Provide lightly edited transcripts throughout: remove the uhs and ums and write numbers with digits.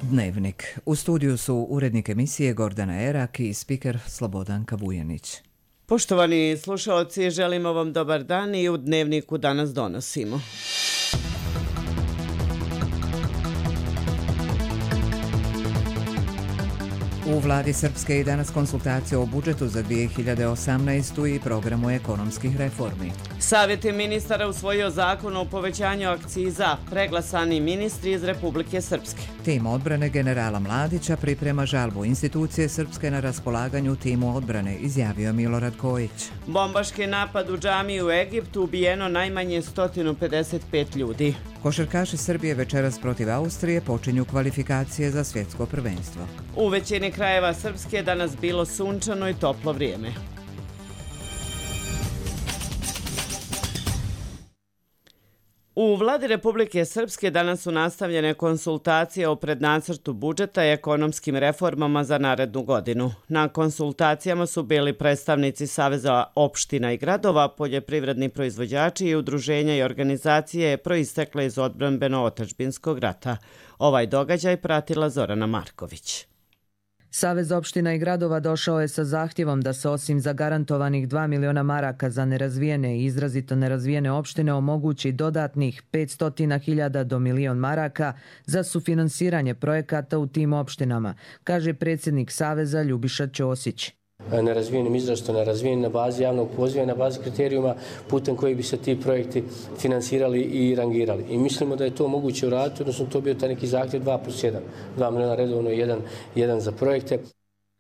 Dnevnik. U studiju su urednik emisije Gordana Erak i spiker Slobodanka Vujanić. Poštovani slušalci, želimo vam dobar dan i u Dnevniku danas donosimo. U vladi Srpske i danas konsultacije o budžetu za 2018. i programu ekonomskih reformi. Savjet ministara usvojio zakon o povećanju akciza, preglasani ministri iz Republike Srpske. Tim odbrane generala Mladića priprema žalbu institucije Srpske na raspolaganju timu odbrane, izjavio Milorad Kojić. Bombaški napad u džamiji u Egiptu, ubijeno najmanje 155 ljudi. Košarkaši Srbije večeras protiv Austrije počinju kvalifikacije za svjetsko prvenstvo. U većini krajeva Srpske danas bilo sunčano i toplo vrijeme. U vladi Republike Srpske danas su nastavljene konsultacije o prednacrtu budžeta i ekonomskim reformama za narednu godinu. Na konsultacijama su bili predstavnici Saveza opština i gradova, poljoprivredni proizvođači i udruženja i organizacije proistekle iz odbrambeno-otadžbinskog rata. Ovaj događaj pratila Zorana Marković. Savez opština i gradova došao je sa zahtjevom da se osim zagarantovanih 2 miliona maraka za nerazvijene i izrazito nerazvijene opštine omogući dodatnih 500.000 do milion maraka za sufinansiranje projekata u tim opštinama, kaže predsjednik Saveza Ljubiša Ćosić. Nerazvijenim, izrazito nerazvijenim na bazi javnog poziva i na bazi kriterijuma putem koji bi se ti projekti finansirali i rangirali. I mislimo da je to moguće uraditi, odnosno to bio taj neki zahtjev 2+1. 2 miliona redovno i jedan za projekte.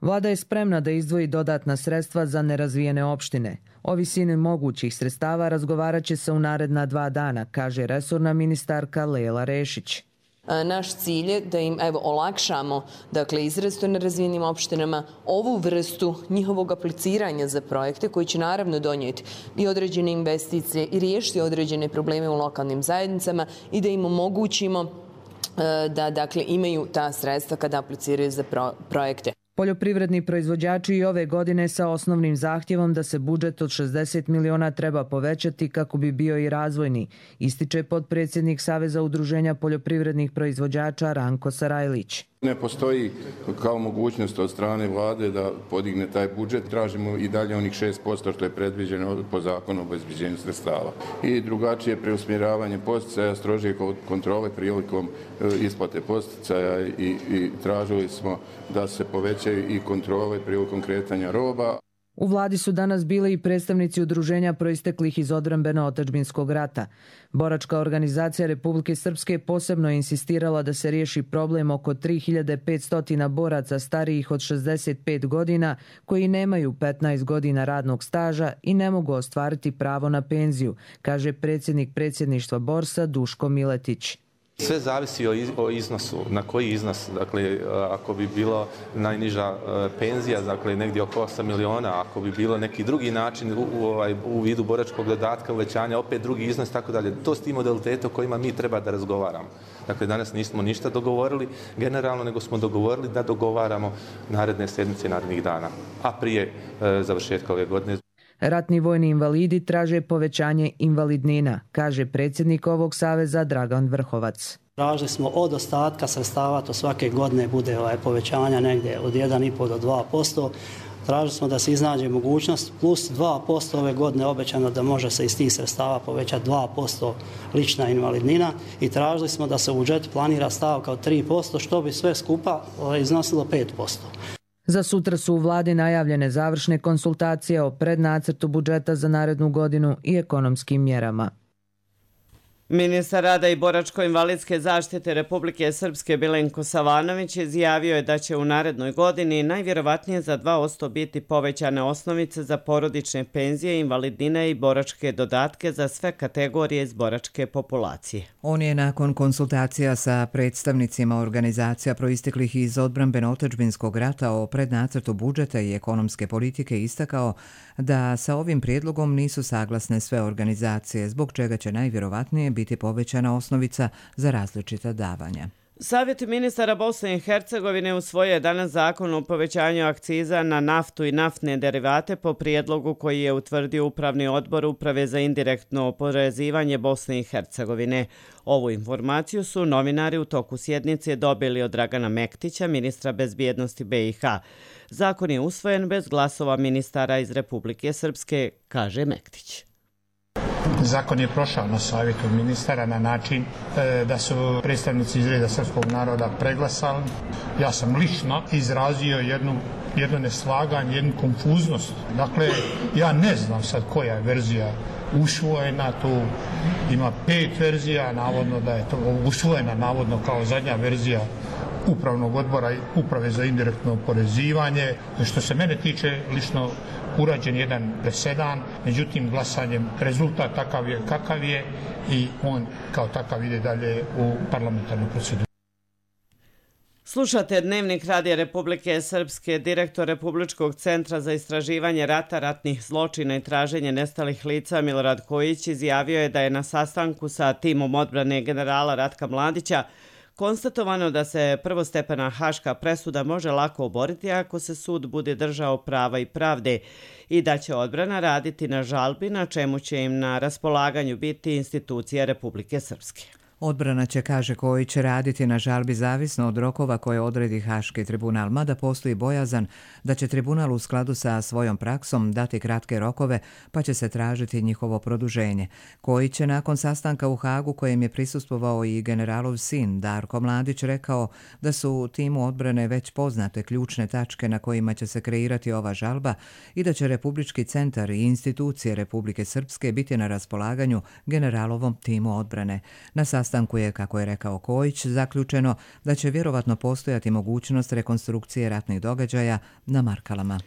Vlada je spremna da izdvoji dodatna sredstva za nerazvijene opštine. O visini mogućih sredstava razgovarat će se u naredna 2 dana, kaže resorna ministarka Lela Rešić. Naš cilj je da im olakšamo, izrazito nerazvijenim opštinama, ovu vrstu njihovog apliciranja za projekte koji će naravno donijeti i određene investicije i riješiti određene probleme u lokalnim zajednicama i da im omogućimo da imaju ta sredstva kada apliciraju za projekte. Poljoprivredni proizvođači i ove godine sa osnovnim zahtjevom da se budžet od 60 miliona treba povećati kako bi bio i razvojni, ističe potpredsjednik Saveza udruženja poljoprivrednih proizvođača Ranko Sarajlić. Ne postoji kao mogućnost od strane vlade da podigne taj budžet. Tražimo i dalje onih 6% što je predviđeno po zakonu o obezbeđenju sredstava. I drugačije preusmjeravanje posticaja, strožije kontrole prilikom isplate posticaja i tražili smo da se povećaju i kontrole prilikom kretanja roba. U vladi su danas bili i predstavnici udruženja proisteklih iz odbrambeno-otadžbinskog rata. Boračka organizacija Republike Srpske posebno je insistirala da se riješi problem oko 3500 boraca starijih od 65 godina koji nemaju 15 godina radnog staža i ne mogu ostvariti pravo na penziju, kaže predsjednik predsjedništva Borsa Duško Miletić. Sve zavisi o iznosu, na koji iznos, ako bi bilo najniža penzija, negdje oko 8 miliona, ako bi bilo neki drugi način u vidu boračkog dodatka, uvećanja, opet drugi iznos, tako dalje. To s tim modalitetom kojima mi treba da razgovaramo. Danas nismo ništa dogovorili generalno, nego smo dogovorili da dogovaramo naredne sedmice, narednih dana, a prije završetka ove godine. Ratni vojni invalidi traže povećanje invalidnina, kaže predsjednik ovog saveza Dragan Vrhovac. Tražili smo od ostatka sredstava, to svake godine bude povećanja negdje od 1,5 do 2%. Tražili smo da se iznađe mogućnost plus 2% ove godine obećano da može se iz tih sredstava povećati 2% lična invalidnina i tražili smo da se u budžetu planira stavka od 3%, što bi sve skupa iznosilo 5%. Za sutra su u vladi najavljene završne konsultacije o prednacrtu budžeta za narednu godinu i ekonomskim mjerama. Ministar rada i boračko-invalidske zaštite Republike Srpske Milenko Savanović izjavio je da će u narednoj godini najvjerovatnije za 2% biti povećane osnovice za porodične penzije, invalidnine i boračke dodatke za sve kategorije iz boračke populacije. On je nakon konsultacija sa predstavnicima organizacija proisteklih iz odbrambeno-otadžbinskog rata o prednacrtu budžeta i ekonomske politike istakao da sa ovim prijedlogom nisu saglasne sve organizacije, zbog čega će najvjerovatnije biti povećana osnovica za različita davanja. Savjet ministara Bosne i Hercegovine usvojio je danas zakon o povećanju akciza na naftu i naftne derivate po prijedlogu koji je utvrdio Upravni odbor Uprave za indirektno oporezivanje Bosne i Hercegovine. Ovu informaciju su novinari u toku sjednice dobili od Dragana Mektića, ministra bezbjednosti BiH. Zakon je usvojen bez glasova ministara iz Republike Srpske, kaže Mektić. Zakon je prošao na savjetu ministara na način da su predstavnici iz reda srpskog naroda preglasali. Ja sam lično izrazio jedno neslaganje, jednu konfuznost. Dakle, ja ne znam sad koja je verzija usvojena, tu ima 5 verzija, navodno da je to usvojena navodno kao zadnja verzija Upravnog odbora Uprave za indirektno oporezivanje. Što se mene tiče, lično urađen jedan presedan, međutim glasanjem rezultat takav je kakav je i on kao takav ide dalje u parlamentarnu proceduru. Slušate Dnevnik Radija Republike Srpske. Direktor Republičkog centra za istraživanje rata, ratnih zločina i traženje nestalih lica Milorad Kojić izjavio je da je na sastanku sa timom odbrane generala Ratka Mladića konstatovano da se prvostepena haška presuda može lako oboriti ako se sud bude držao prava i pravde i da će odbrana raditi na žalbi, na čemu će im na raspolaganju biti institucija Republike Srpske. Odbrana će, kaže Kojić, raditi na žalbi zavisno od rokova koje odredi Haški tribunal, mada postoji bojazan da će tribunal u skladu sa svojom praksom dati kratke rokove pa će se tražiti njihovo produženje. Kojić je nakon sastanka u Hagu kojem je prisustvovao i generalov sin Darko Mladić rekao da su timu odbrane već poznate ključne tačke na kojima će se kreirati ova žalba i da će Republički centar i institucije Republike Srpske biti na raspolaganju generalovom timu odbrane. Na sastanku je, kako je rekao Kojić, zaključeno da će vjerovatno postojati mogućnost rekonstrukcije ratnih događaja na Markalama.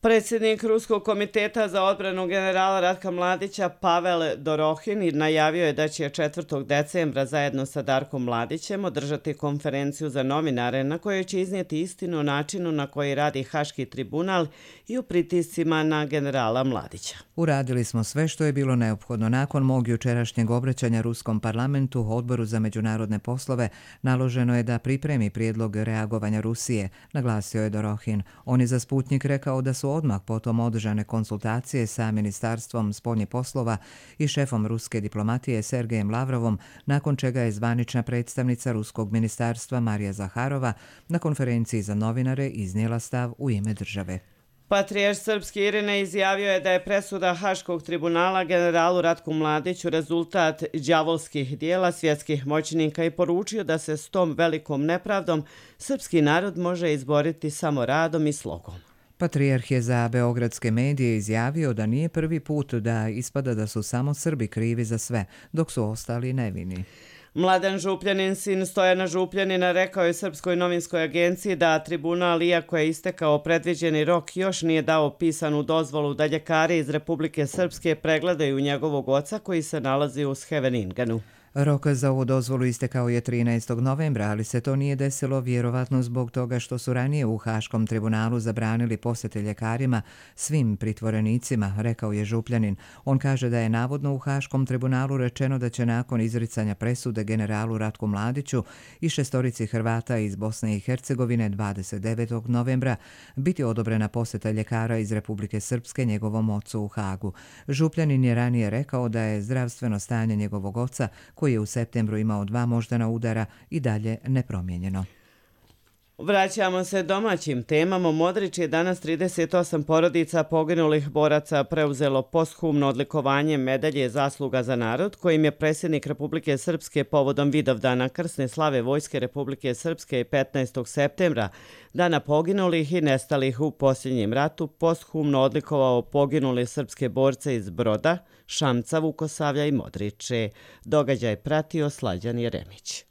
Predsjednik Ruskog komiteta za odbranu generala Ratka Mladića Pavel Dorohin najavio je da će 4. decembra zajedno sa Darkom Mladićem održati konferenciju za novinare na kojoj će iznijeti istinu o načinu na koji radi Haški tribunal i u pritiscima na generala Mladića. Uradili smo sve što je bilo neophodno. Nakon mog jučerašnjeg obraćanja Ruskom parlamentu, Odboru za međunarodne poslove, naloženo je da pripremi prijedlog reagovanja Rusije, naglasio je Dorohin. On je za Sputnik rekao da su odmah potom održane konsultacije sa Ministarstvom spoljnih poslova i šefom ruske diplomatije Sergejem Lavrovom, nakon čega je zvanična predstavnica Ruskog ministarstva Marija Zaharova na konferenciji za novinare iznijela stav u ime države. Patrijarh srpski Irine izjavio je da je presuda Haškog tribunala generalu Ratku Mladiću rezultat đavolskih dijela svjetskih moćnika i poručio da se s tom velikom nepravdom srpski narod može izboriti samo radom i slogom. Patrijarh je za beogradske medije izjavio da nije prvi put da ispada da su samo Srbi krivi za sve, dok su ostali nevini. Mladen Župljanin, sin Stojana Župljanina, rekao je Srpskoj novinskoj agenciji da tribunal, iako je istekao predviđeni rok, još nije dao pisanu dozvolu da ljekari iz Republike Srpske pregledaju njegovog oca koji se nalazi u Scheveningenu. Rok za ovu dozvolu istekao je 13. novembra, ali se to nije desilo vjerovatno zbog toga što su ranije u Haškom tribunalu zabranili posjete ljekarima svim pritvorenicima, rekao je Župljanin. On kaže da je navodno u Haškom tribunalu rečeno da će nakon izricanja presude generalu Ratku Mladiću i 6 Hrvata iz Bosne i Hercegovine 29. novembra biti odobrena posjeta ljekara iz Republike Srpske njegovom ocu u Hagu. Župljanin je ranije rekao da je zdravstveno stanje njegovog oca, koji je u septembru imao 2 moždana udara, i dalje nepromijenjeno. Vraćamo se domaćim temama. Modrić je danas 38 porodica poginulih boraca preuzelo posthumno odlikovanje medalje Zasluga za narod, kojim je predsjednik Republike Srpske povodom Vidovdana krsne slave Vojske Republike Srpske 15. septembra, dana poginulih i nestalih u posljednjem ratu, posthumno odlikovao poginule srpske borce iz Broda, Šamca, Vukosavlja i Modriče. Događaj pratio Slađan Jeremić.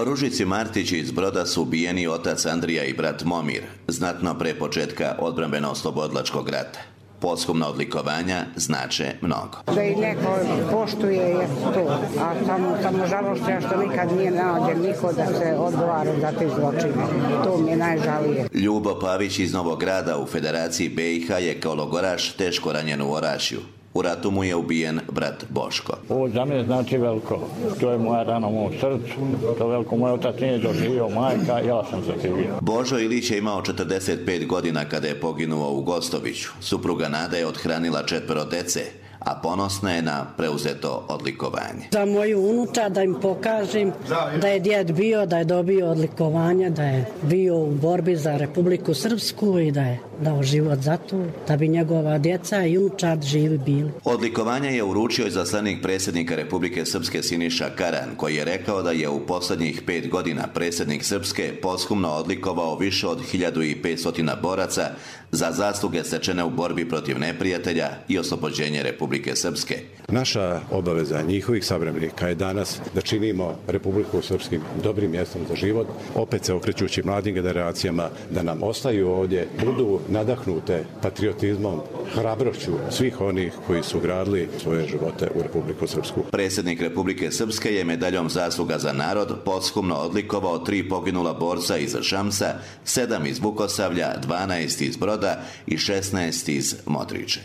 Ružici Martići iz Broda su ubijeni otac Andrija i brat Momir, znatno pre početka odbrambeno-oslobodilačkog rata. Posthumna odlikovanja znače mnogo. Da i neko poštuje je to, a samo žalošća što nikad nije nađen niko da se odgovara za te zločine. To mi je najžalije. Ljubo Pavić iz Novog Grada u Federaciji BiH je kao logoraš teško ranjen u Orašju. U ratu mu je ubijen brat Boško. Ovo za mene znači veliko. To je moja rana u mom srcu. To veliko moj otac nije doživio, majka, ja sam zaživio. Božo Ilić je imao 45 godina kada je poginuo u Gostoviću. Supruga Nada je othranila 4 dece, a ponosna je na preuzeto odlikovanje. Za moju unuča da im pokažem da je djed bio, da je dobio odlikovanja, da je bio u borbi za Republiku Srpsku i da je dao život za to, da bi njegova djeca i unučad živi bili. Odlikovanje je uručio izaslanik predsjednika Republike Srpske Siniša Karan, koji je rekao da je u posljednjih 5 godina predsjednik Srpske posthumno odlikovao više od 1500 boraca za zasluge stečene u borbi protiv neprijatelja i oslobođenje Republike Srpske. Naša obaveza njihovih savremenika je danas da činimo Republiku Srpskim dobrim mjestom za život, opet se okrećući mladim generacijama da nam ostaju ovdje, budu nadahnute patriotizmom, hrabrošću svih onih koji su gradili svoje živote u Republiku Srpsku. Predsjednik Republike Srpske je medaljom zasluga za narod posthumno odlikovao 3 poginula borca iz Šamsa, 7 iz Vukosavlja, 12 iz Broda i 16 iz Modriče.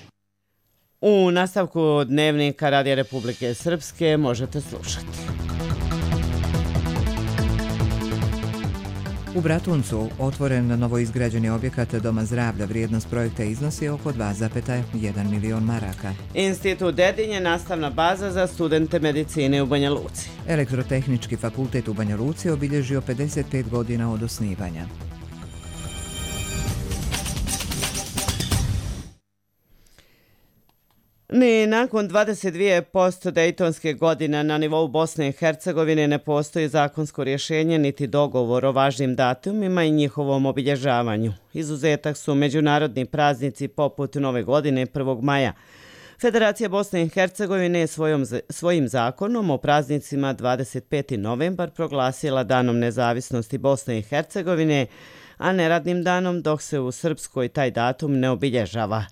U nastavku Dnevnika Radija Republike Srpske možete slušati. U Bratuncu otvoren novoizgrađeni objekat Doma zdravlja. Vrijednost projekta iznosi oko 2,1 milion maraka. Institut Dedinje je nastavna baza za studente medicine u Banja Luci. Elektrotehnički fakultet u Banja Luci obilježio 55 godina od osnivanja. Ni nakon 22% dejtonske godine na nivou Bosne i Hercegovine ne postoji zakonsko rješenje niti dogovor o važnim datumima i njihovom obilježavanju. Izuzetak su međunarodni praznici poput Nove godine 1. maja. Federacija Bosne i Hercegovine je svojim zakonom o praznicima 25. novembar proglasila Danom nezavisnosti Bosne i Hercegovine, a neradnim danom, dok se u Srpskoj taj datum ne obilježava.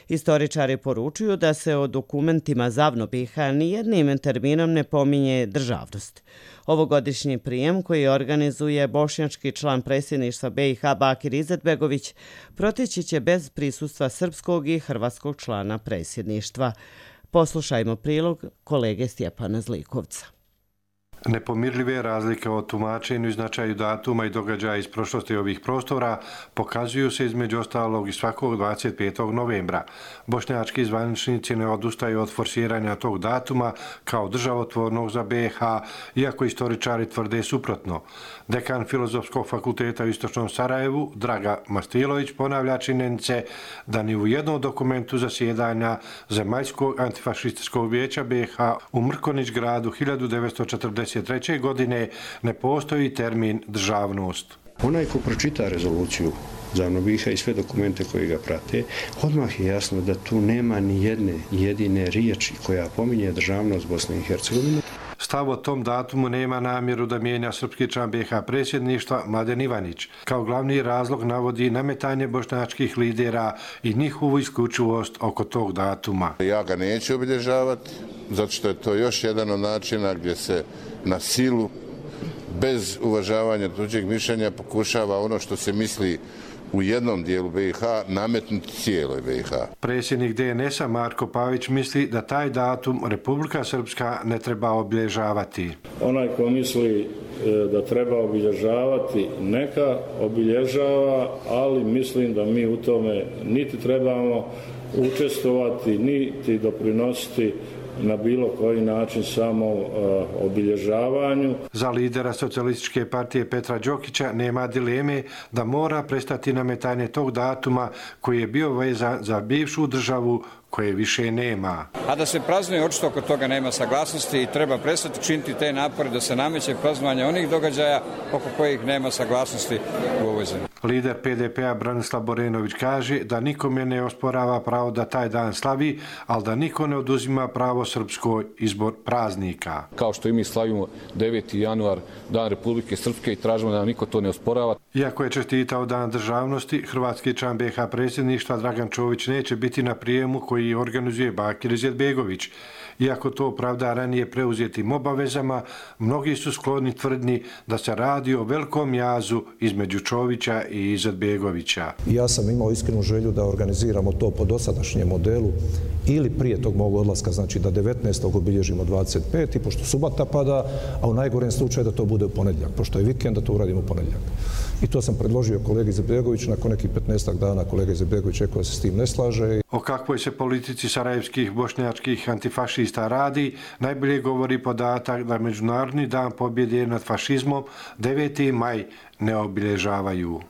Istoričari poručuju da se o dokumentima ZAVNO BiH nijednim terminom ne pominje državnost. Ovogodišnji prijem koji organizuje bošnjački član predsjedništva BiH Bakir Izetbegović proteći će bez prisustva srpskog i hrvatskog člana predsjedništva. Poslušajmo prilog kolege Stjepana Zlikovca. Nepomirljive razlike o tumačenju i značaju datuma i događaja iz prošlosti ovih prostora pokazuju se između ostalog i svakog 25. novembra. Bošnjački zvaničnici ne odustaju od forsiranja tog datuma kao državotvornog za BiH, iako istoričari tvrde suprotno. Dekan Filozofskog fakulteta u Istočnom Sarajevu, Draga Mastilović, ponavlja činjenice da ni u jednom dokumentu zasjedanja Zemaljskog antifašističkog vijeća BiH u Mrkonić gradu 1943. godine ne postoji termin državnost. Onaj ko pročita rezoluciju ZAVNO BiH i sve dokumente koji ga prate, odmah je jasno da tu nema ni jedne jedine riječi koja pominje državnost Bosne i Hercegovine. Stav o tom datumu nema namjeru da mijenja srpski član BiH predsjedništva Mladen Ivanić. Kao glavni razlog navodi nametanje bošnjačkih lidera i njihovu isključivost oko tog datuma. Ja ga neću obilježavati, zato što je to još jedan od načina gdje se na silu, bez uvažavanja tuđeg mišljenja, pokušava ono što se misli u jednom dijelu BiH nametnuti cijeloj BiH. Predsjednik DNS-a Marko Pavić misli da taj datum Republika Srpska ne treba obilježavati. Onaj ko misli da treba obilježavati, neka obilježava, ali mislim da mi u tome niti trebamo učestvovati, niti doprinositi na bilo koji način samo obilježavanju. Za lidera Socijalističke partije Petra Đokića nema dileme da mora prestati nametanje tog datuma koji je bio vezan za bivšu državu koje više nema. A da se praznuje, očito oko toga nema saglasnosti i treba prestati činiti te napore da se nameće praznovanje onih događaja oko kojih nema saglasnosti u ovoj zemlji. Lider PDP-a Branislav Borenović kaže da nikome ne osporava pravo da taj dan slavi, ali da niko ne oduzima pravo srpskoj izbor praznika. Kao što i mi slavimo 9. januar, Dan Republike Srpske, i tražimo da nam niko to ne osporava. Iako je čestitao Dan državnosti, hrvatski član BiH predsjedništva Dragan Čović neće biti na prijemu koji koji organizuje Bakir Izetbegović. Iako to opravda ranije preuzetim obavezama, mnogi su skloni tvrdni da se radi o velikom jazu između Čovića i Izetbegovića. Ja sam imao iskrenu želju da organiziramo to po dosadašnjem modelu ili prije tog mog odlaska, znači da 19. obilježimo 25. pošto subota pada, a u najgorem slučaju da to bude u ponedjeljak. Pošto je vikend, da to uradimo u ponedjeljak. I to sam predložio kolegi Izetbegoviću, nakon nekih 15 dana kolega Izetbegović rekao da se s tim ne slaže. O kakvoj se politici sarajevskih bošnjačkih antifašista radi, najbolje govori podatak da Međunarodni dan pobjede nad fašizmom 9. maj ne obilježavaju.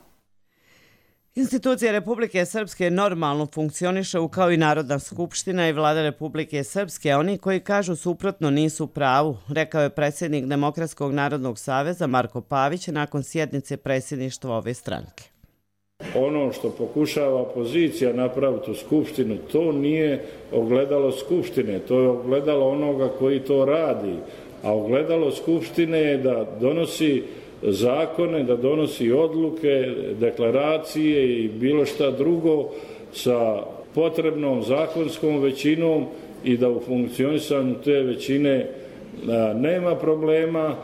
Institucije Republike Srpske normalno funkcionišu kao i Narodna skupština i Vlada Republike Srpske, a oni koji kažu suprotno nisu u pravu, rekao je predsjednik Demokratskog narodnog saveza Marko Pavić nakon sjednice predsjedništva ove stranke. Ono što pokušava opozicija napraviti u skupštinu, to nije ogledalo skupštine, to je ogledalo onoga koji to radi, a ogledalo skupštine je da donosi zakone, da donosi odluke, deklaracije i bilo šta drugo sa potrebnom zakonskom većinom i da u funkcionisanju te većine nema problema.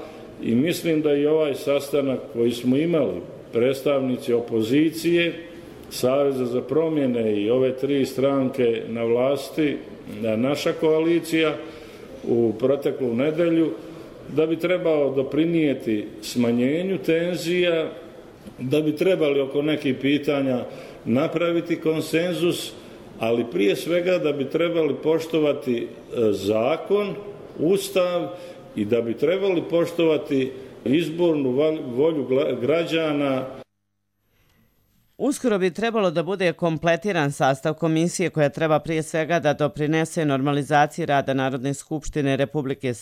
I mislim da i ovaj sastanak koji smo imali, predstavnici opozicije, Saveza za promjene i ove tri stranke na vlasti, naša koalicija u proteklu nedelju, da bi trebao doprinijeti smanjenju tenzija, da bi trebali oko nekih pitanja napraviti konsenzus, ali prije svega da bi trebali poštovati zakon, ustav i da bi trebali poštovati izbornu volju građana. Uskoro bi trebalo da bude kompletiran sastav komisije koja treba prije svega da doprinese normalizaciji rada Narodne skupštine Republike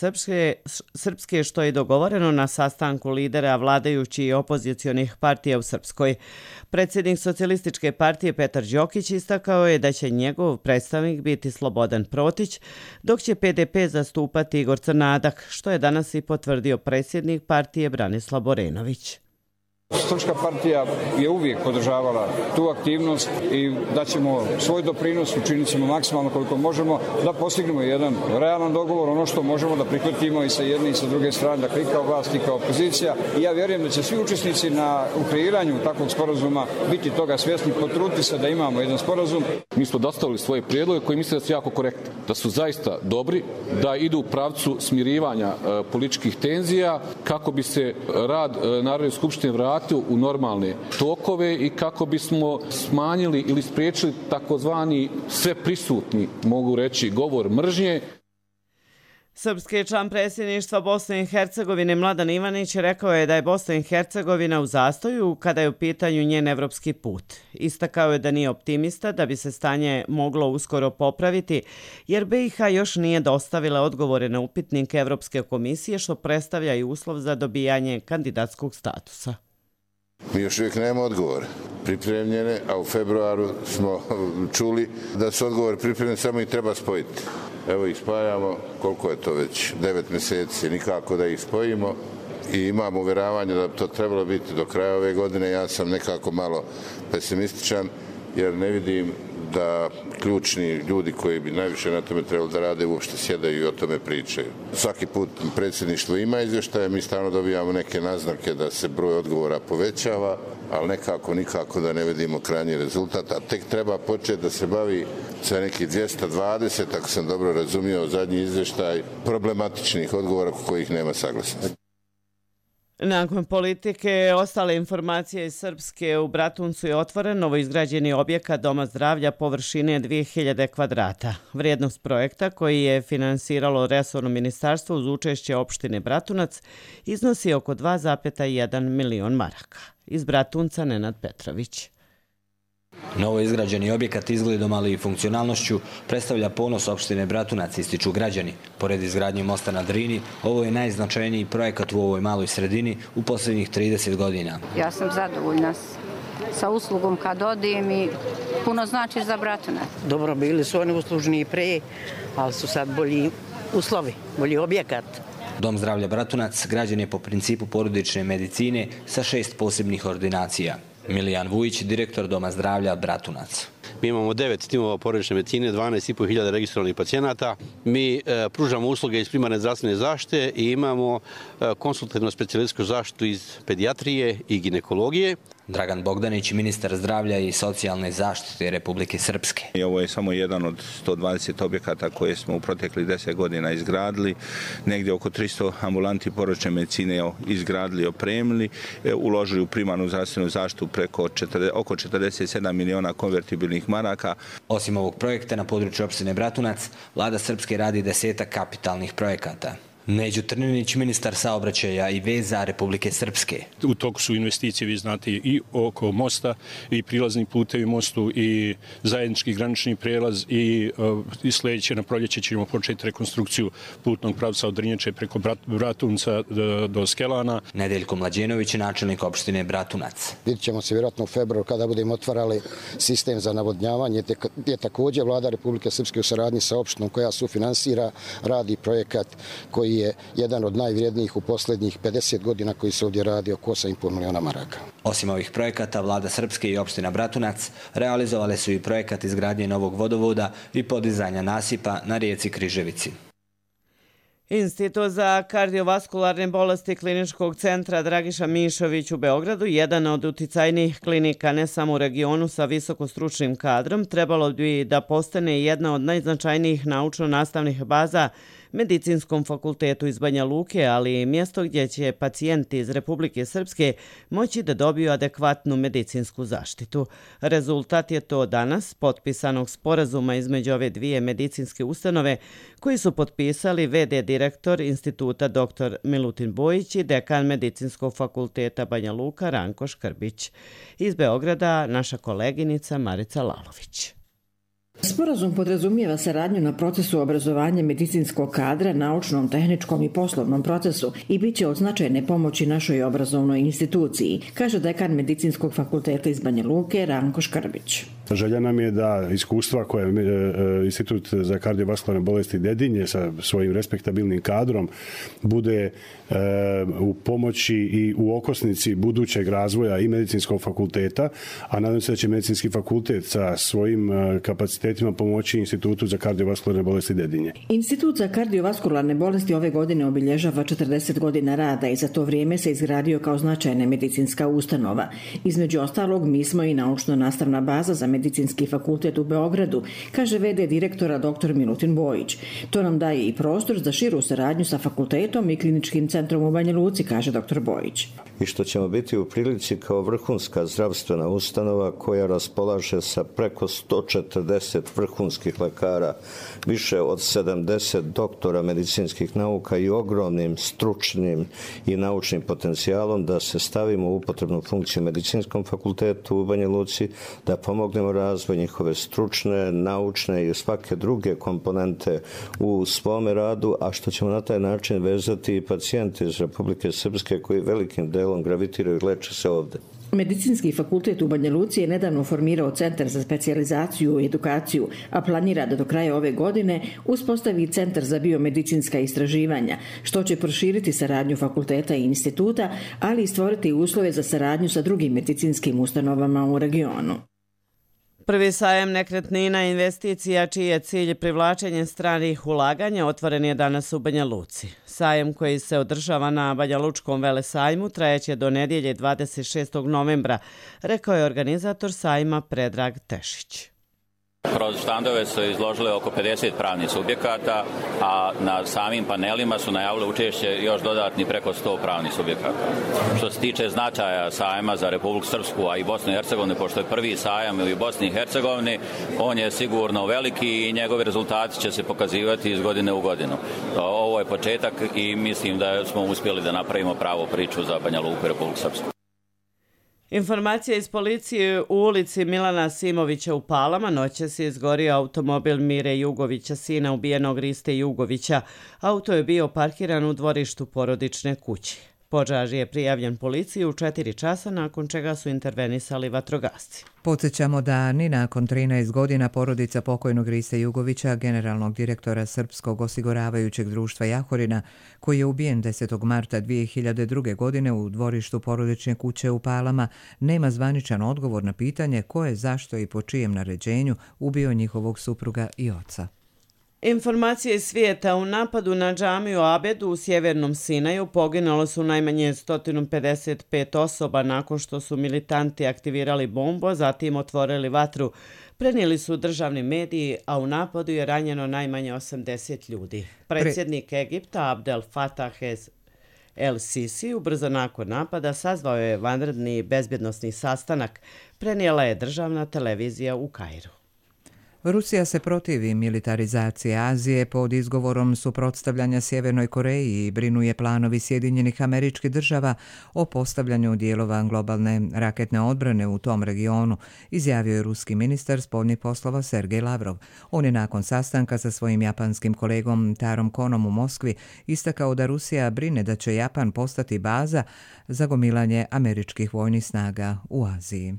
Srpske, što je dogovoreno na sastanku lidera vladajućih i opozicionih partija u Srpskoj. Predsjednik Socijalističke partije Petar Đokić istakao je da će njegov predstavnik biti Slobodan Protić, dok će PDP zastupati Igor Crnadak, što je danas i potvrdio predsjednik partije Branislav Borenović. Srpska partija je uvijek podržavala tu aktivnost i daćemo svoj doprinos, učinit ćemo maksimalno koliko možemo da postignemo jedan realan dogovor, ono što možemo da prihvatimo i sa jedne i sa druge strane, dakle i kao vlast i kao opozicija. I ja vjerujem da će svi učesnici u kreiranju takvog sporazuma biti toga svjesni, potruditi se da imamo jedan sporazum. Mi smo dostavili svoje prijedloge koji misle da su jako korektni, da su zaista dobri, da idu u pravcu smirivanja političkih tenzija kako bi se rad Narodne skupštine vratio u normalne tokove i kako bismo smanjili ili spriječili takozvani sveprisutni, mogu reći, govor mržnje. Srpski član predsjedništva Bosne i Hercegovine Mladen Ivanić rekao je da je Bosna i Hercegovina u zastoju kada je u pitanju njen evropski put. Istakao je da nije optimista da bi se stanje moglo uskoro popraviti, jer BiH još nije dostavila odgovore na upitnik Evropske komisije, što predstavlja i uslov za dobijanje kandidatskog statusa. Mi još uvijek nemamo odgovore pripremljene, a u februaru smo čuli da su odgovori pripremljeni, samo ih treba spojiti. Evo ih spajamo, koliko je to već, 9 mjeseci, nikako da ih spojimo i imam uvjeravanje da bi to trebalo biti do kraja ove godine. Ja sam nekako malo pesimističan jer ne vidim da ključni ljudi koji bi najviše na tome trebali da rade uopšte sjedaju i o tome pričaju. Svaki put predsjedništvo ima izvještaje, mi stalno dobijamo neke naznake da se broj odgovora povećava, ali nikako da ne vidimo krajnji rezultat, a tek treba početi da se bavi sa nekih 220, ako sam dobro razumio zadnji izvještaj, problematičnih odgovora kojih nema saglasnosti. Nakon politike, ostale informacije iz Srpske, u Bratuncu je otvoren novoizgrađeni objekat Doma zdravlja površine 2000 kvadrata. Vrijednost projekta, koji je finansiralo resorno ministarstvo uz učešće opštine Bratunac, iznosi oko 2,1 milion maraka. Iz Bratunca Nenad Petrović. Novo izgrađeni objekat izgledom, ali i funkcionalnošću predstavlja ponos opštine Bratunac, ističu građani. Pored izgradnje mosta na Drini, ovo je najznačajniji projekat u ovoj maloj sredini u posljednjih 30 godina. Ja sam zadovoljna sa uslugom kad odim i puno znači za Bratunac. Dobro, bili su oni uslužni i pre, ali su sad bolji uslovi, bolji objekat. Dom zdravlja Bratunac građen je po principu porodične medicine sa 6 posebnih ordinacija. Milijan Vujić, direktor Doma zdravlja Bratunac. Mi imamo 9 timova porodične medicine, 12.500 registrovanih pacijenata. Mi pružamo usluge iz primarne zdravstvene zaštite i imamo konsultativno specijalističku zaštitu iz pedijatrije i ginekologije. Dragan Bogdanić, ministar zdravlja i socijalne zaštite Republike Srpske. Ovo je samo jedan od 120 objekata koje smo u proteklih 10 godina izgradili. Negdje oko 300 ambulanti porodične medicine izgradili, opremili, uložili u primarnu zdravstvenu zaštitu preko oko 47 miliona konvertibilnih maraka. Osim ovog projekta na području opštine Bratunac, vlada Srpske radi 10 kapitalnih projekata. Neđo Trninić, ministar saobraćaja i veza Republike Srpske. U toku su investicije, vi znate, i oko mosta, i prilazni putevi mostu, i zajednički granični prelaz, i sljedeće na proljeće ćemo početi rekonstrukciju putnog pravca od Drnjače preko Bratunca do Skelana. Nedeljko Mlađenović, načelnik opštine Bratunac. Vidjet ćemo se vjerojatno u februaru kada budemo otvarali sistem za navodnjavanje, gdje također vlada Republike Srpske u saradnji sa opštinom koja sufinansira radi projekat koji je jedan od najvrijednijih u posljednjih 50 godina koji se ovdje radi oko 8,5 miliona maraka. Osim ovih projekata, vlada Srpske i opština Bratunac realizovale su i projekat izgradnje novog vodovoda i podizanja nasipa na rijeci Križevici. Institut za kardiovaskularne bolesti Kliničkog centra Dragiša Mišović u Beogradu, jedan od uticajnijih klinika ne samo u regionu sa visokostručnim kadrom, trebalo bi da postane jedna od najznačajnijih naučno-nastavnih baza Medicinskom fakultetu iz Banja Luke, ali i mjesto gdje će pacijenti iz Republike Srpske moći da dobiju adekvatnu medicinsku zaštitu. Rezultat je to danas potpisanog sporazuma između ove dvije medicinske ustanove koji su potpisali v.d. direktor instituta dr. Milutin Bojić i dekan Medicinskog fakulteta Banja Luka Ranko Škrbić. Iz Beograda naša koleginica Marica Lalović. Sporazum podrazumijeva saradnju na procesu obrazovanja medicinskog kadra, naučnom, tehničkom i poslovnom procesu i bit će od značajne pomoći našoj obrazovnoj instituciji, kaže dekan Medicinskog fakulteta iz Banja Luke Ranko Škrbić. Želja nam je da iskustva koje Institut za kardiovaskularne bolesti Dedinje sa svojim respektabilnim kadrom bude u pomoći i u okosnici budućeg razvoja i medicinskog fakulteta, a nadam se da će medicinski fakultet sa svojim kapacitetima pomoći Institutu za kardiovaskularne bolesti Dedinje. Institut za kardiovaskularne bolesti ove godine obilježava 40 godina rada i za to vrijeme se izgradio kao značajna medicinska ustanova. Između ostalog, mi smo i naučno-nastavna baza za Medicinski fakultet u Beogradu, kaže v.d. direktora dr. Milutin Bojić. To nam daje i prostor za širu saradnju sa fakultetom i kliničkim centrom u Banja Luci, kaže dr. Bojić. I što ćemo biti u prilici kao vrhunska zdravstvena ustanova koja raspolaže sa preko 140 vrhunskih lekara, više od 70 doktora medicinskih nauka i ogromnim stručnim i naučnim potencijalom da se stavimo u upotrebnu funkciju Medicinskom fakultetu u Banja Luci, da pomognemo razvoj njihove stručne, naučne i svake druge komponente u svome radu, a što ćemo na taj način vezati i pacijente iz Republike Srpske koji velikim delom gravitiraju i leče se ovde. Medicinski fakultet u Banja Luci je nedavno formirao Centar za specijalizaciju i edukaciju, a planira da do kraja ove godine uspostavi Centar za biomedicinska istraživanja, što će proširiti saradnju fakulteta i instituta, ali i stvoriti uslove za saradnju sa drugim medicinskim ustanovama u regionu. Prvi sajam nekretnina investicija čiji je cilj privlačenje stranih ulaganja otvoren je danas u Banja Luci. Sajam koji se održava na Banja Lučkom velesajmu trajeće do nedjelje 26. novembra, rekao je organizator sajma Predrag Tešić. Kroz štandove su izložili oko 50 pravnih subjekata, a na samim panelima su najavili učešće još dodatni preko 100 pravnih subjekata. Što se tiče značaja sajma za Republiku Srpsku, a i Bosnu i Hercegovinu, pošto je prvi sajam u Bosni i Hercegovini, on je sigurno veliki i njegovi rezultati će se pokazivati iz godine u godinu. Ovo je početak i mislim da smo uspjeli da napravimo pravu priču za Banja Luku i Republiku Srpsku. Informacija iz policije: u ulici Milana Simovića u Palama noćas je izgorio automobil Mire Jugovića, sina ubijenog Riste Jugovića. Auto je bio parkiran u dvorištu porodične kuće. Požar je prijavljen policiji u 4 časa, nakon čega su intervenisali vatrogasci. Podsjećamo da ni nakon 13 godina porodica pokojnog Riste Jugovića, generalnog direktora Srpskog osiguravajućeg društva Jahorina, koji je ubijen 10. marta 2002. godine u dvorištu porodične kuće u Palama, nema zvaničan odgovor na pitanje ko je, zašto i po čijem naređenju ubio njihovog supruga i oca. Informacije iz svijeta: u napadu na džamiju Abedu u sjevernom Sinaju poginulo su najmanje 155 osoba nakon što su militanti aktivirali bombu, zatim otvorili vatru, prenijeli su državni mediji, a u napadu je ranjeno najmanje 80 ljudi. Predsjednik Egipta Abdel Fattah el-Sisi ubrzo nakon napada sazvao je vanredni bezbjednosni sastanak, prenijela je državna televizija u Kairu. Rusija se protivi militarizaciji Azije pod izgovorom suprotstavljanja Sjevernoj Koreji i brinuje planovi Sjedinjenih Američkih Država o postavljanju dijelova globalne raketne odbrane u tom regionu, izjavio je ruski ministar spoljnih poslova Sergej Lavrov. On je nakon sastanka sa svojim japanskim kolegom Tarom Konom u Moskvi istakao da Rusija brine da će Japan postati baza za gomilanje američkih vojnih snaga u Aziji.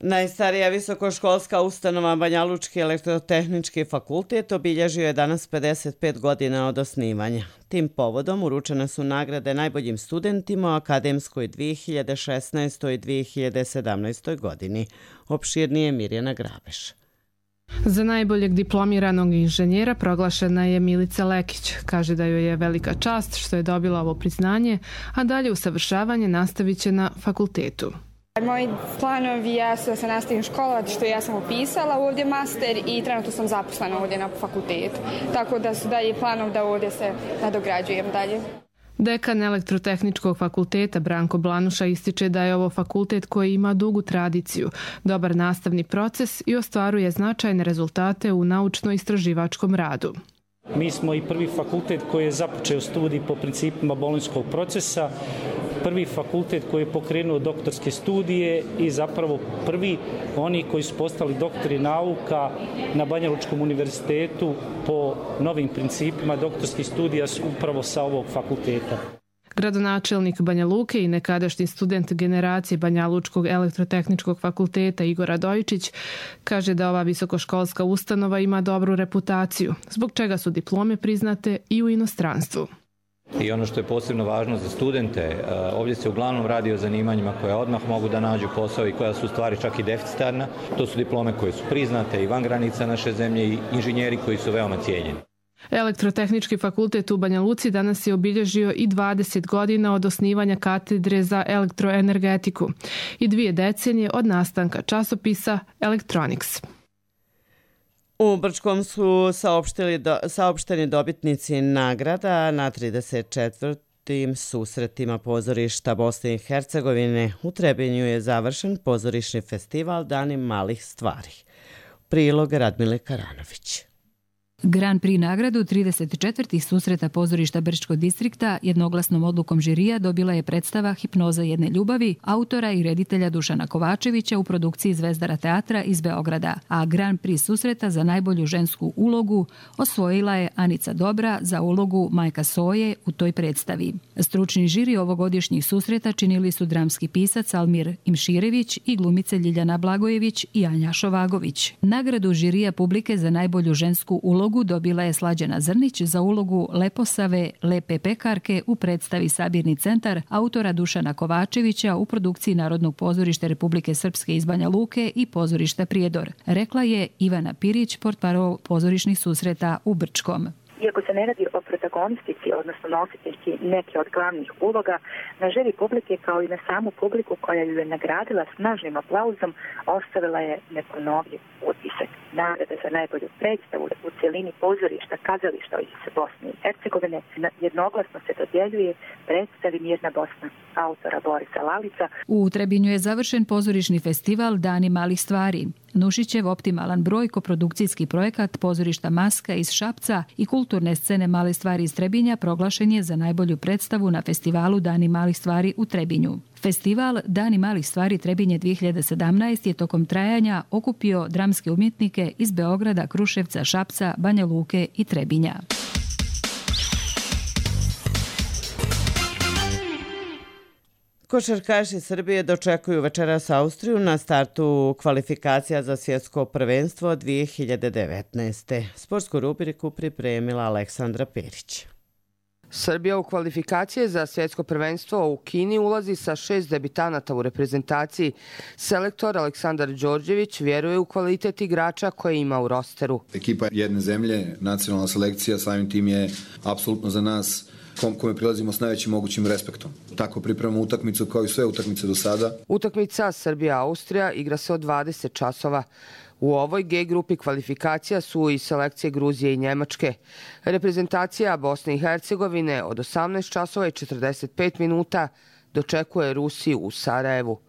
Najstarija visokoškolska ustanova Banjalučki elektrotehnički fakultet obilježio je danas 55 godina od osnivanja. Tim povodom uručene su nagrade najboljim studentima u akademskoj 2016. i 2017. godini. Opširnije Mirjana Grabeš. Za najboljeg diplomiranog inženjera proglašena je Milica Lekić. Kaže da joj je velika čast što je dobila ovo priznanje, a dalje usavršavanje nastavit će na fakultetu. Moji planovi jesu da se nastavim školovati, što ja sam upisala ovdje master i trenutno sam zaposlena ovdje na fakultetu. Tako da su dalje planov da ovdje se nadograđujem dalje. Dekan Elektrotehničkog fakulteta Branko Blanuša ističe da je ovo fakultet koji ima dugu tradiciju, dobar nastavni proces i ostvaruje značajne rezultate u naučno-istraživačkom radu. Mi smo i prvi fakultet koji je započeo studij po principima bolonjskog procesa, prvi fakultet koji je pokrenuo doktorske studije i zapravo prvi oni koji su postali doktori nauka na Banjalučkom univerzitetu po novim principima doktorskih studija su upravo sa ovog fakulteta. Gradonačelnik Banja Luke i nekadašnji student generacije Banjalučkog elektrotehničkog fakulteta Igor Radojičić kaže da ova visokoškolska ustanova ima dobru reputaciju, zbog čega su diplome priznate i u inostranstvu. I ono što je posebno važno za studente, ovdje se uglavnom radi o zanimanjima koja odmah mogu da nađu posao i koja su u stvari čak i deficitarna. To su diplome koje su priznate i van granica naše zemlje i inženjeri koji su veoma cijenjeni. Elektrotehnički fakultet u Banja Luci danas je obilježio i 20 godina od osnivanja katedre za elektroenergetiku i 2 decenije od nastanka časopisa Electronics. U Brčkom su saopšteni dobitnici nagrada na 34. susretima pozorišta Bosne i Hercegovine. U Trebinju je završen pozorišni festival Dani malih stvari. Prilog Radmile Karanović. Grand Prix nagradu 34. susreta pozorišta Brčkog distrikta jednoglasnom odlukom žirija dobila je predstava Hipnoza jedne ljubavi autora i reditelja Dušana Kovačevića u produkciji Zvezdara teatra iz Beograda, a Grand Prix susreta za najbolju žensku ulogu osvojila je Anica Dobra za ulogu majka Soje u toj predstavi. Stručni žiri ovogodišnjih susreta činili su dramski pisac Almir Imširević i glumice Ljiljana Blagojević i Anja Šovagović. Nagradu žirija publike za najbolju žensku ulogu dobila je Slađana Zrnić za ulogu Leposave Lepe pekarke u predstavi Sabirni centar autora Dušana Kovačevića u produkciji Narodnog pozorišta Republike Srpske iz Banja Luke i pozorišta Prijedor. Rekla je Ivana Pirić, portparol pozorišnih susreta u Brčkom. Iako se ne radi o protagonistici, odnosno nositeljki neke od glavnih uloga, na želji publike kao i na samu publiku koja ju je nagradila snažnim aplauzom, ostavila je neponovljiv utisak. Nagrada za najbolju predstavu u cjelini pozorišta, kazališta iz Bosne i Hercegovine jednoglasno se dodjeljuje predstavi Mirna Bosna autora Borisa Lalica. U Trebinju je završen pozorišni festival Dani malih stvari. Nušićev optimalan broj koprodukcijski projekat pozorišta Maska iz Šapca i kulturne scene Male stvari iz Trebinja proglašen je za najbolju predstavu na festivalu Dani malih stvari u Trebinju. Festival Dani malih stvari Trebinje 2017 je tokom trajanja okupio dramske umjetnike iz Beograda, Kruševca, Šapca, Banja Luke i Trebinja. Košarkaši Srbije dočekuju večeras Austriju na startu kvalifikacija za svjetsko prvenstvo 2019. Sportsku rubriku pripremila Aleksandra Perić. Srbija u kvalifikacije za svjetsko prvenstvo u Kini ulazi sa 6 debitanata u reprezentaciji. Selektor Aleksandar Đorđević vjeruje u kvalitet igrača koje ima u rosteru. Ekipa jedne zemlje, nacionalna selekcija, samim tim je apsolutno za nas kome prilazimo s najvećim mogućim respektom. Tako pripremamo utakmicu kao i sve utakmice do sada. Utakmica Srbija-Austrija igra se od 20 časova. U ovoj G grupi kvalifikacija su i selekcije Gruzije i Njemačke. Reprezentacija Bosne i Hercegovine od 18 časova i 45 minuta dočekuje Rusiju u Sarajevu.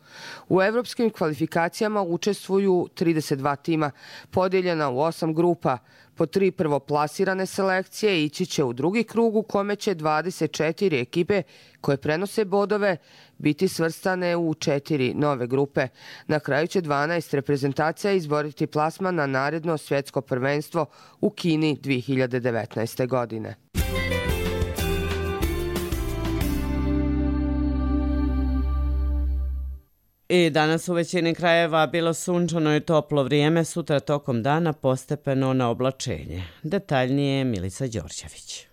U evropskim kvalifikacijama učestvuju 32 tima, podijeljena u 8 grupa. Po 3 prvoplasirane selekcije ići će u drugi krug u kome će 24 ekipe koje prenose bodove biti svrstane u 4 nove grupe. Na kraju će 12 reprezentacija izboriti plasman na naredno svjetsko prvenstvo u Kini 2019. godine. I danas u većini krajeva bilo sunčano i toplo vrijeme, sutra tokom dana postepeno na oblačenje. Detaljnije Milica Đorđević.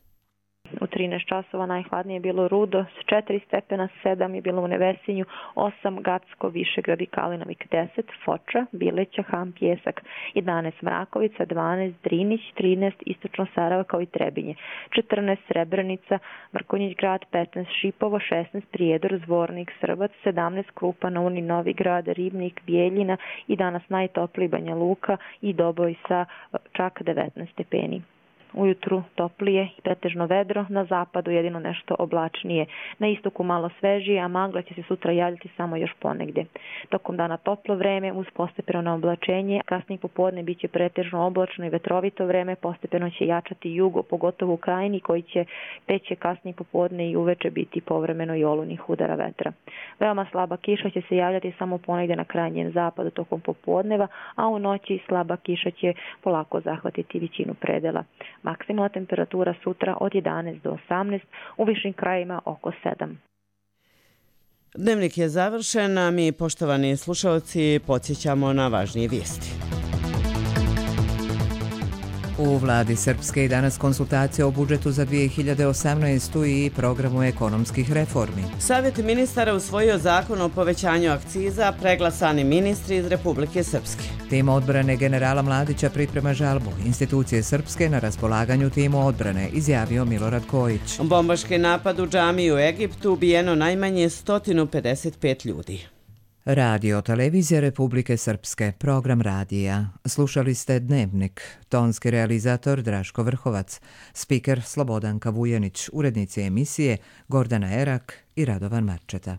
U 13 časova najhladnije je bilo Rudo, s 4 stepena, 7 je bilo u Nevesinju, 8 Gacko, Višegrad i Kalinovik, 10 Foča, Bileća, Ham, Pjesak, 11 Mrakovica, 12 Drinić, 13 Istočno Sarajevo kao i Trebinje, 14 Srebrenica, Mrkonjić grad, 15 Šipovo, 16 Prijedor, Zvornik, Srbac, 17 Krupa, Novi Novigrad, Ribnik, Bijeljina i danas najtopliji Banja Luka i Doboj sa čak 19 stepeni. Ujutru toplije i pretežno vedro, na zapadu jedino nešto oblačnije. Na istoku malo svežije, a magla će se sutra javljati samo još ponegdje. Tokom dana toplo vreme uz postepeno oblačenje, kasnije popodne bit će pretežno oblačno i vetrovito vreme, postepeno će jačati jugo, pogotovo u krajini koji će peće kasnije popodne i uveče biti povremeno i olujnih udara vetra. Veoma slaba kiša će se javljati samo ponegdje na krajnjem zapadu tokom popodneva, a u noći slaba kiša će polako zahvatiti većinu predela. Maksimalna temperatura sutra od 11 do 18, u višim krajima oko 7. Dnevnik je završen, a mi, poštovani slušalci, podsjećamo na važnije vijesti. U vladi Srpske i danas konsultacija o budžetu za 2018. i programu ekonomskih reformi. Savjet ministara usvojio zakon o povećanju akciza, preglasani ministri iz Republike Srpske. Tim odbrane generala Mladića priprema žalbu. Institucije Srpske na raspolaganju timu odbrane, izjavio Milorad Kojić. Bombaški napad u džamiju u Egiptu, ubijeno najmanje 155 ljudi. Radio Televizija Republike Srpske, program radija. Slušali ste Dnevnik, tonski realizator Draško Vrhovac, spiker Slobodanka Vujanić, urednici emisije Gordana Erak i Radovan Marčeta.